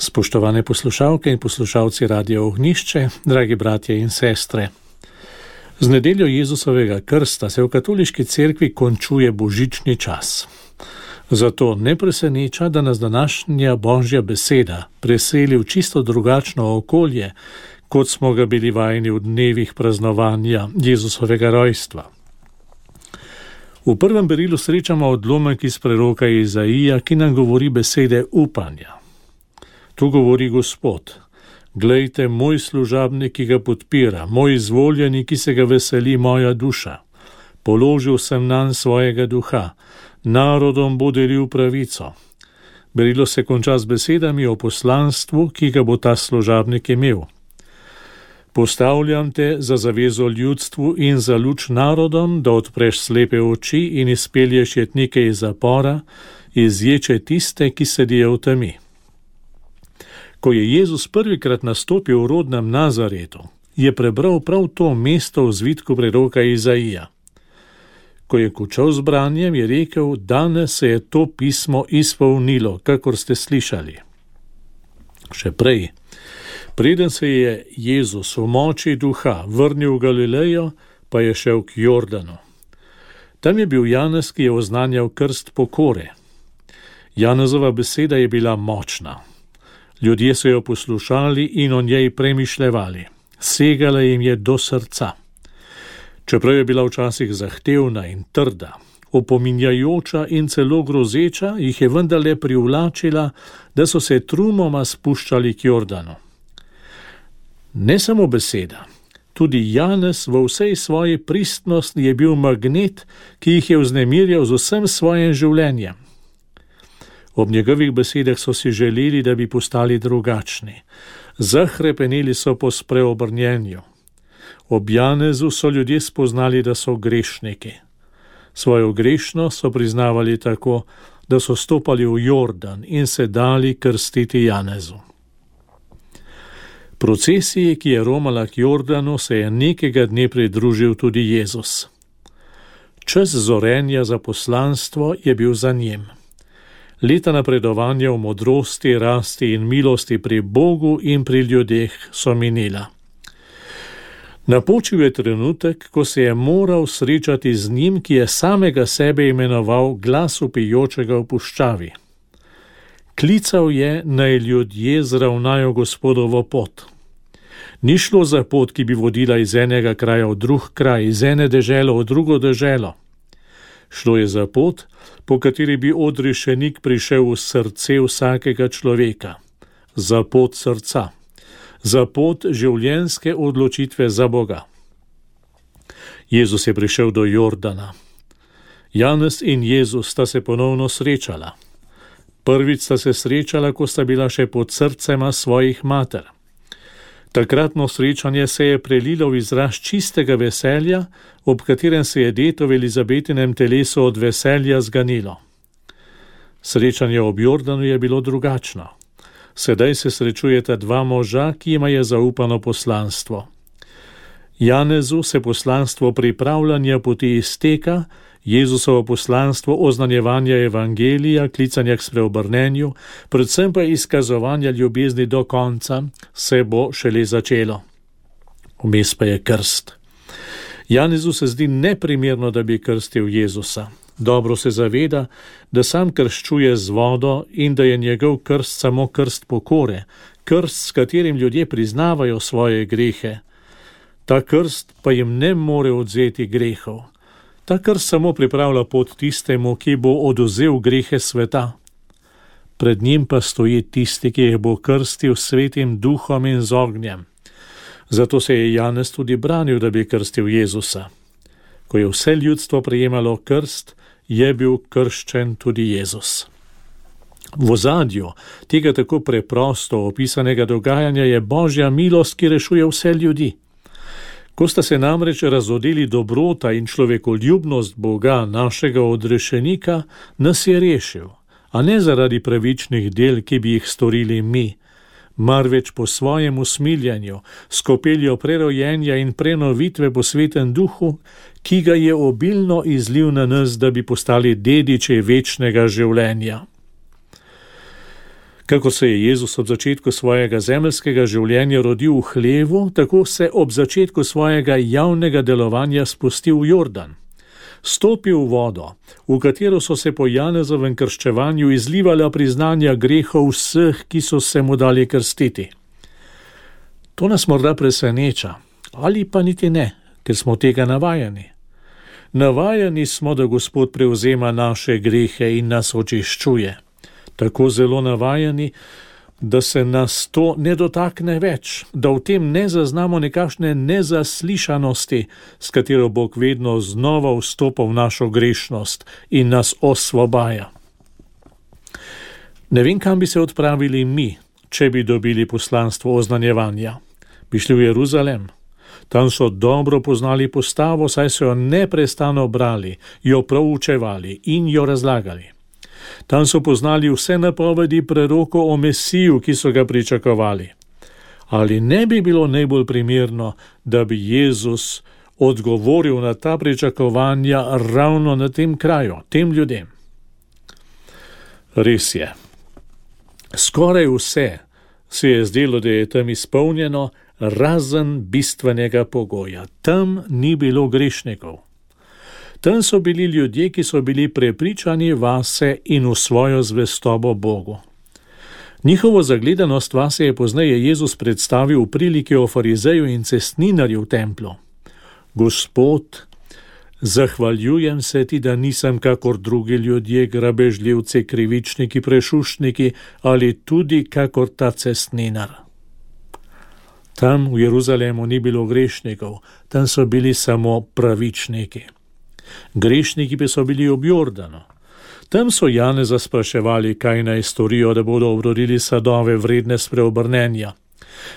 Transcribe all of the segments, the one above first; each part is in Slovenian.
Spoštovane poslušalke in poslušalci Radia Ognjišče, dragi bratje in sestre. Z nedeljo Jezusovega krsta se v katoliški cerkvi končuje božični čas. Zato ne preseneča, da nas današnja Božja beseda preseli v čisto drugačno okolje, kot smo ga bili vajeni v dnevih praznovanja Jezusovega rojstva. V prvem berilu srečamo odlomek iz preroka Izaija, ki nam govori besede upanja. Tu govori Gospod: glejte, moj služabnik, ki ga podpira, moj izvoljeni, ki se ga veseli moja duša. Položil sem nanj svojega duha, narodom bo delil pravico. Berilo se konča z besedami o poslanstvu, ki ga bo ta služabnik imel. Postavljam te za zavezo ljudstvu in za luč narodom, da odpreš slepe oči in izpelješ jetnike iz zapora, izječe tiste, ki sedijo v temi. Ko je Jezus prvikrat nastopil v rodnem Nazaretu, je prebral prav to mesto v zvitku preroka Izaija. Ko je končal z branjem, je rekel: danes se je to pismo izpolnilo, kakor ste slišali. Še prej, preden se je Jezus v moči duha vrnil v Galilejo, pa je šel k Jordanu. Tam je bil Janez, ki je oznanjal krst pokore. Janezova beseda je bila močna. Ljudje so jo poslušali in o njej premišljevali. Segala jim je do srca. Čeprav je bila včasih zahtevna in trda, opominjajoča in celo grozeča, jih je vendarle privlačila, da so se trumoma spuščali k Jordanu. Ne samo beseda, tudi Janez v vsej svoji pristnosti je bil magnet, ki jih je vznemirjal z vsem svojim življenjem. Ob njegovih besedah so si želeli, da bi postali drugačni. Zahrepeneli so po spreobrnjenju. Ob Janezu so ljudje spoznali, da so grešniki. Svojo grešnost so priznavali tako, da so stopali v Jordan in se dali krstiti Janezu. Procesiji, ki je romala k Jordanu, se je nekega dne pridružil tudi Jezus. Čas zorenja za poslanstvo je bil za njim. Leta napredovanja v modrosti, rasti in milosti pri Bogu in pri ljudeh so minila. Napočil je trenutek, ko se je moral srečati z njim, ki je samega sebe imenoval glas vpijočega v puščavi. Klical je, naj ljudje zravnajo Gospodovo pot. Ni šlo za pot, ki bi vodila iz enega kraja v drug kraj, iz ene dežele v drugo deželo. Šlo je za pot, po kateri bi odrešenik prišel v srce vsakega človeka. Za pot srca. Za pot življenjske odločitve za Boga. Jezus je prišel do Jordana. Janez in Jezus sta se ponovno srečala. Prvič sta se srečala, ko sta bila še pod srcema svojih mater. Takratno srečanje se je prelilo v izraz čistega veselja, ob katerem se je dete v Elizabetinem telesu od veselja zganilo. Srečanje ob Jordanu je bilo drugačno. Sedaj se srečujeta dva moža, ki jima je zaupano poslanstvo. Janezu se poslanstvo pripravljanja poti izteka, Jezusovo poslanstvo oznanjevanja evangelija, klicanja k spreobrnenju, predvsem pa izkazovanja ljubezni do konca, se bo šele začelo. Vmes pa je krst. Janezu se zdi neprimerno, da bi krstil Jezusa. Dobro se zaveda, da sam krščuje z vodo in da je njegov krst samo krst pokore, krst, s katerim ljudje priznavajo svoje grehe. Ta krst pa jim ne more odvzeti grehov. Ta krst samo pripravlja pot tistemu, ki bo odvzel grehe sveta. Pred njim pa stoji tisti, ki jih bo krstil s Svetim Duhom in z ognjem. Zato se je Janez tudi branil, da bi krstil Jezusa. Ko je vse ljudstvo prejemalo krst, je bil krščen tudi Jezus. V ozadju tega tako preprosto opisanega dogajanja je Božja milost, ki rešuje vse ljudi. Ko sta se namreč razodeli dobrota in človekoljubnost Boga, našega odrešenika, nas je rešil, a ne zaradi pravičnih del, ki bi jih storili mi, marveč po svojem usmiljanju, s kopeljo prerojenja in prenovitve po Svetem Duhu, ki ga je obilno izlil na nas, da bi postali dediči večnega življenja. Kako se je Jezus ob začetku svojega zemeljskega življenja rodil v hlevu, tako se ob začetku svojega javnega delovanja spustil v Jordan. Stopil v vodo, v katero so se po Janezovem krščevanju izlivala priznanja grehov vseh, ki so se mu dali krstiti. To nas morda preseneča, ali pa niti ne, ker smo tega navajeni. Navajeni smo, da Gospod prevzema naše grehe in nas očiščuje. Tako zelo navajeni, da se nas to ne dotakne več, da v tem ne zaznamo nekakšne nezaslišanosti, s katero Bog vedno znova vstopa v našo grešnost in nas osvobaja. Ne vem, kam bi se odpravili mi, če bi dobili poslanstvo oznanjevanja. Bi šli v Jeruzalem. Tam so dobro poznali postavo, saj so jo neprestano brali, jo proučevali in jo razlagali. Tam so poznali vse napovedi prerokov o Mesiju, ki so ga pričakovali. Ali ne bi bilo najbolj primerno, da bi Jezus odgovoril na ta pričakovanja ravno na tem kraju, tem ljudem? Res je. Skoraj vse se je zdelo, da je tam izpolnjeno, razen bistvenega pogoja. Tam ni bilo grešnikov. Tam so bili ljudje, ki so bili prepričani vase in v svojo zvestobo Bogu. Njihovo zagledanost vase je pozneje Jezus predstavil v priliki o farizeju in cestninarju v templu. Gospod, zahvaljujem se ti, da nisem kakor drugi ljudje, grabežljivci, krivičniki, prešuštniki ali tudi kakor ta cestninar. Tam v Jeruzalemu ni bilo grešnikov, tam so bili samo pravičniki. Grešniki pa so bili ob Jordanu. Tam so Janeza spraševali, kaj naj storijo, da bodo obrodili sadove vredne spreobrnenja.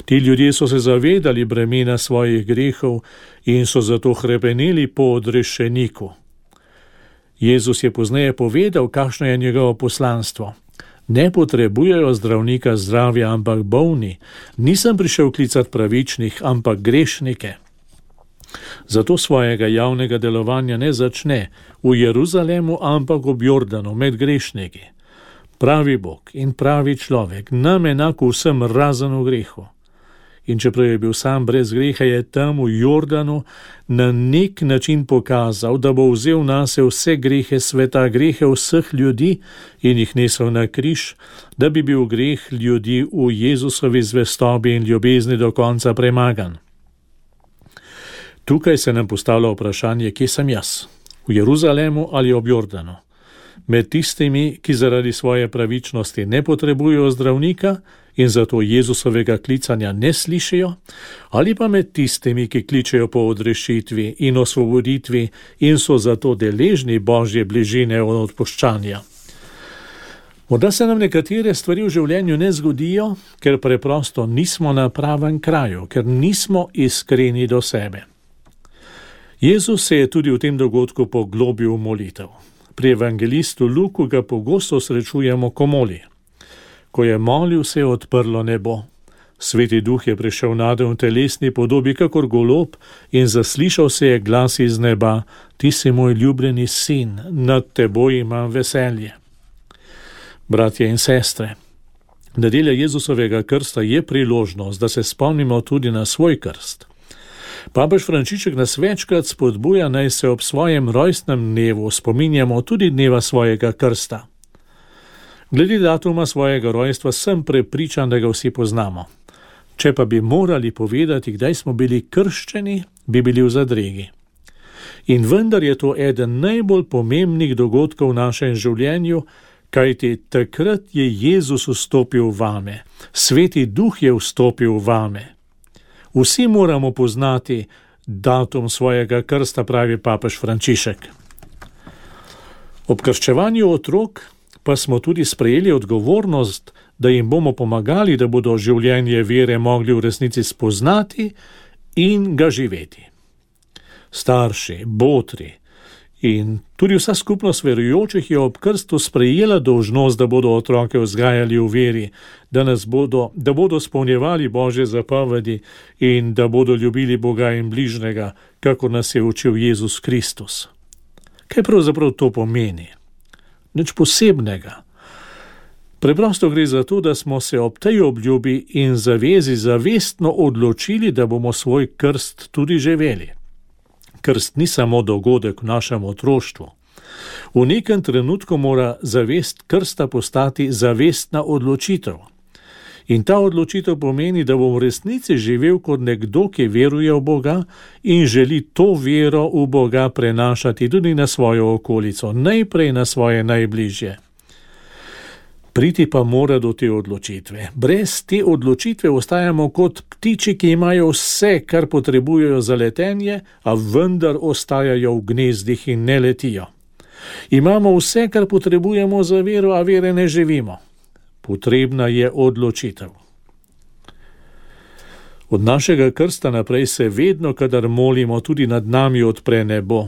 Ti ljudje so se zavedali bremena svojih grehov in so zato hrepeneli po odrešeniku. Jezus je pozneje povedal, kakšno je njegovo poslanstvo. Ne potrebujejo zdravnika zdravja, ampak bolni. Nisem prišel klicati pravičnih, ampak grešnike. Zato svojega javnega delovanja ne začne v Jeruzalemu, ampak ob Jordanu, med grešniki. Pravi Bog in pravi človek, nam enako vsem razen v grehu. In čeprav je bil sam brez greha, je tam v Jordanu na nek način pokazal, da bo vzel nase vse grehe sveta, grehe vseh ljudi in jih nesel na križ, da bi bil greh ljudi v Jezusovi zvestobi in ljubezni do konca premagan. Tukaj se nam postavlja vprašanje, kje sem jaz, v Jeruzalemu ali ob Jordanu. Med tistimi, ki zaradi svoje pravičnosti ne potrebujejo zdravnika in zato Jezusovega klicanja ne slišijo, ali pa med tistimi, ki kličejo po odrešitvi in osvoboditvi in so zato deležni Božje bližine od odpuščanja. Morda se nam nekatere stvari v življenju ne zgodijo, ker preprosto nismo na pravem kraju, ker nismo iskreni do sebe. Jezus se je tudi v tem dogodku poglobil v molitev. Pri evangelistu Luku ga pogosto srečujemo, ko moli. Ko je molil, se je odprlo nebo. Sveti Duh je prišel nade v telesni podobi kakor golob in zaslišal se je glas iz neba: Ti si moj ljubljeni sin, nad teboj imam veselje. Bratje in sestre, nedelja Jezusovega krsta je priložnost, da se spomnimo tudi na svoj krst. Papež Frančišek nas večkrat spodbuja, naj se ob svojem rojstnem dnevu spominjamo tudi dneva svojega krsta. Glede datuma svojega rojstva sem prepričan, da ga vsi poznamo. Če pa bi morali povedati, kdaj smo bili krščeni, bi bili v zadregi. In vendar je to eden najbolj pomembnih dogodkov v našem življenju, kajti takrat je Jezus vstopil vame, Sveti Duh je vstopil vame. Vsi moramo poznati datum svojega krsta, pravi papež Frančišek. Ob krščevanju otrok pa smo tudi sprejeli odgovornost, da jim bomo pomagali, da bodo življenje vere mogli v resnici spoznati in ga živeti. Starši, botri in tudi vsa skupnost verujočih je ob krstu sprejela dolžnost, da bodo otroke vzgajali v veri, da bodo spolnjevali Božje zapovedi in da bodo ljubili Boga in bližnjega, kakor nas je učil Jezus Kristus. Kaj pravzaprav to pomeni? Nič posebnega. Preprosto gre za to, da smo se ob tej obljubi in zavezi zavestno odločili, da bomo svoj krst tudi živeli. Krst ni samo dogodek v našem otroštvu. V nekem trenutku mora zavest krsta postati zavestna odločitev. In ta odločitev pomeni, da bom v resnici živel kot nekdo, ki veruje v Boga in želi to vero v Boga prenašati tudi na svojo okolico, najprej na svoje najbližje. Priti pa mora do te odločitve. Brez te odločitve ostajamo kot ptiči, ki imajo vse, kar potrebujejo za letenje, a vendar ostajajo v gnezdih in ne letijo. Imamo vse, kar potrebujemo za vero, a vere ne živimo. Potrebna je odločitev. Od našega krsta naprej se vedno, kadar molimo, tudi nad nami odpre nebo.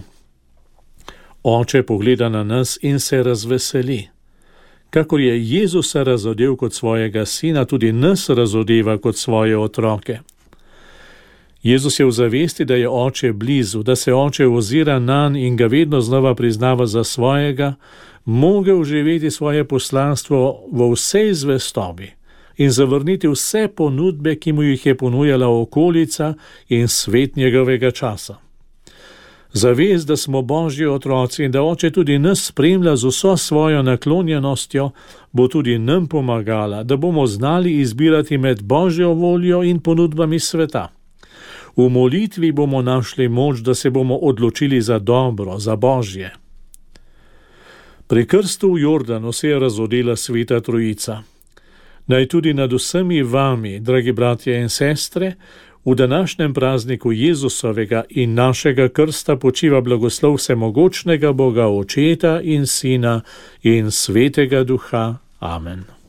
Oče pogleda na nas in se razveseli. Kakor je Jezusa razodel kot svojega sina, tudi nas razodeva kot svoje otroke. Jezus je v zavesti, da je oče blizu, da se oče ozira nanj in ga vedno znova priznava za svojega, mogel živeti svoje poslanstvo v vsej zvestobi in zavrniti vse ponudbe, ki mu jih je ponujala okolica in svet njegovega časa. Zavest, da smo Božji otroci in da oče tudi nas spremlja z vso svojo naklonjenostjo, bo tudi nam pomagala, da bomo znali izbirati med Božjo voljo in ponudbami sveta. V molitvi bomo našli moč, da se bomo odločili za dobro, za Božje. Pri krstu v Jordanu se je razodela Sveta Trojica. Naj tudi nad vsemi vami, dragi bratje in sestre, v današnjem prazniku Jezusovega in našega krsta počiva blagoslov vsemogočnega Boga Očeta in Sina in Svetega Duha. Amen.